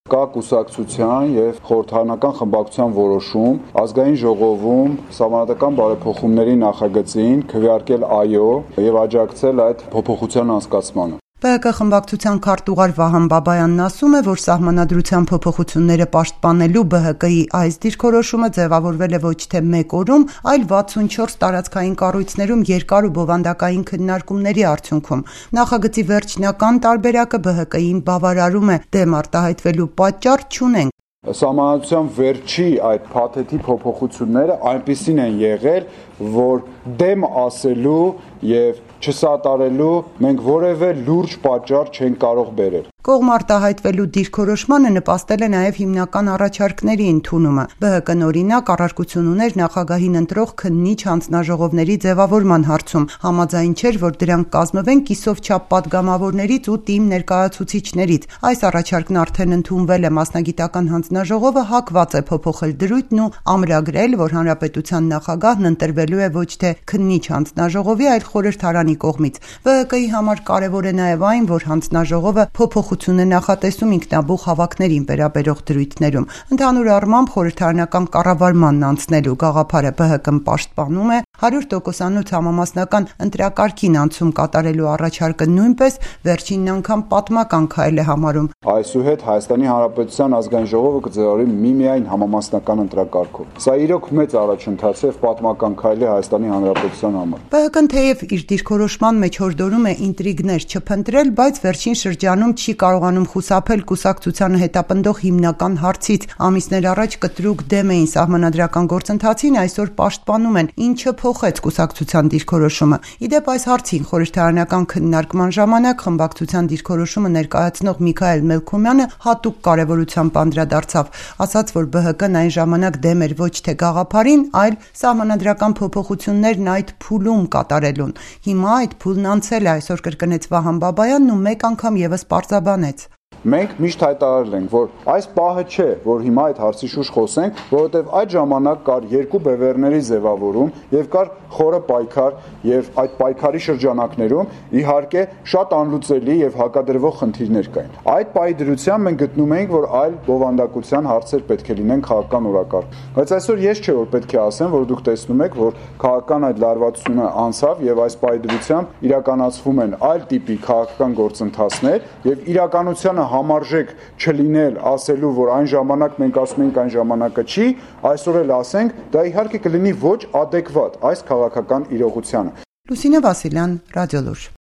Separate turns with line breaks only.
Կա կուսակցության եւ խորհրդարանական խմբակցության որոշում ազգային ժողովում սահմանադրական բարեփոխումների նախագծին քվեարկել այո եւ աջակցել այդ փոփոխության անցկացմանը։
ԲՀԿ խմբակցության քարտուղար Վահան Բաբայանն ասում է, որ սահմանադրության փոփոխությունները պաշտպանելու ԲՀԿ-ի այս դիրքորոշումը ձևավորվել է ոչ թե մեկ օրում, այլ 64 տարածքային կառույցներում երկար ու բովանդակային քննարկումների արդյունքում։ Նախագծի վերջնական տարբերակը ԲՀԿ-ին բավարարում է, դեմ արտահայտվելու պատճառ չունենք։
Սահմանադրության վերջի այդ փաթեթի փոփոխությունները այնպիսին են եղել, որ դեմ ասելու եւ չսատարելու մենք որևէ լուրջ պատճառ չենք կարող բերել։
Կողմ արտահայտվելու դիրքորոշմանը նպաստել է նաև հիմնական առաջարկների ընդունումը։ ԲՀԿ-ն օրինակ առարկություն ուներ նախագահին ընտրող քննիչ հանձնաժողովների ձևավորման հարցում, համաձայն չէր, որ դրանք կազմվեն կիսով չափ պատգամավորներից ու թիմ ներկայացուցիչներից։ Այս առաջարկն արդեն ընդունվել է, մասնագիտական հանձնաժողովը հակված է փոփոխել դրույթն ու ամրագրել, որ հանրապետության նախագահն ընտրվելու է ոչ թե քննիչ հանձնաժողովի, այլ խորհրդարանի կողմից։ ԲՀԿ-ի համար կարևոր է նաև այն, որ հանձնաժողովը փոփոխություն է նախատեսում ինքնաբուխ հավաքներին վերաբերող դրույթներում։ Ընդհանուր առմամբ խորհրդարանական կառավարմանն անցնելու գաղափարը ԲՀԿ-ն պաշտպանում է, 100%-անոց համամասնական ընտրակարգին անցում կատարելու առաջարկը նույնպես վերջին անգամ պատմական քայլ է համարում։
Այսուհետ Հայաստանի Հանրապետության ազգային ժողովը կձևավորի միմիայն համամասնական ընտրակարգով։ Սա իրոք մեծ առաջընթաց է, պատմական քայլ է Հայաստանի Հանրապետության համար։
ԲՀԿ-ն թեև իր դիրքորոշման մեջ հորդորում է ինտրիգներ չփնտրել, բայց վերջին շրջանում չի կարողանում խուսափել կուսակցությանը հետապնդող հիմնական հարցից։ Ամիսներ առաջ կտրուկ դեմ էին սահմանադրական գործընթացին, այսօր պաշտպանում են, ինչը փոխեց կուսակցության դիրքորոշումը։ Իդեպ այս հարցին խորհրդարանական քննարկման ժամանակ խմբակցության դիրքորոշումը ներկայացնող Միքայել Մելքոմյանը հատուկ կարևորությամբ անդրադարձավ, ասաց, որ ԲՀԿ-ն այն ժամանակ դեմ էր ոչ թե գաղափարին, այլ սահմանադրական փոփոխություններն այդ փուլում կատարելուն։ Հիմա այդ փուլն անցել է, այսօր կրկնեց Վահան Բաբայանն ու մեկ անգամ եւս պարզաբանեց։
Մենք միշտ հայտարարել ենք, որ այս պահը չէ, որ հիմա այդ հարցի շուրջ խոսենք, որովհետև այդ ժամանակ կար երկու բևեռների ձևավորում եւ կար խորը պայքար եւ այդ պայքարի շրջանակներում իհարկե շատ անլուծելի եւ հակադրվող խնդիրներ կային։ Այդ պահի դրությամբ մենք գտնում էինք, որ այլ բովանդակության հարցեր պետք է լինեն քաղաքական օրակարգ։ Բայց այսօր ես չէ որ պետք է ասեմ, որ դուք տեսնում եք, որ քաղաքական այդ լարվածությունը անցավ եւ այս պահի դրությամբ իրականացվում են այլ տիպի քաղաքական գործընթացներ եւ իրականությանը համարժեք չլինել ասելու, որ այն ժամանակ մենք ասում ենք այն ժամանակը չի, այսօր էլ ասենք, դա իհարկե կլինի ոչ adekvat այս քաղաքական իրողությանը։
Լուսինե Վասիլյան, Ռադիոլուր։